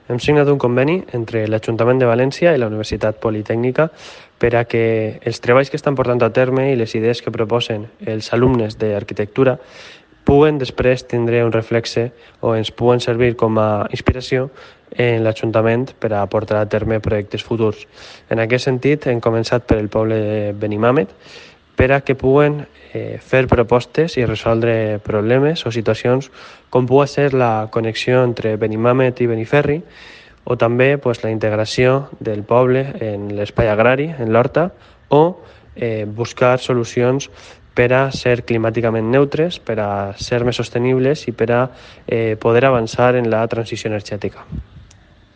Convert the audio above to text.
hem signat un conveni entre l'Ajuntament de València i la Universitat Politècnica per a que els treballs que estan portant a terme i les idees que proposen els alumnes d'arquitectura puguen després tindre un reflexe o ens puguen servir com a inspiració en l'Ajuntament per a portar a terme projectes futurs. En aquest sentit, hem començat per el poble de Benimàmet per a que puguen fer propostes i resoldre problemes o situacions com pugui ser la connexió entre Benimàmet i Beniferri o també la integració del poble en l'espai agrari, en l'horta, o buscar solucions per a ser climàticament neutres, per a ser més sostenibles i per a poder avançar en la transició energètica.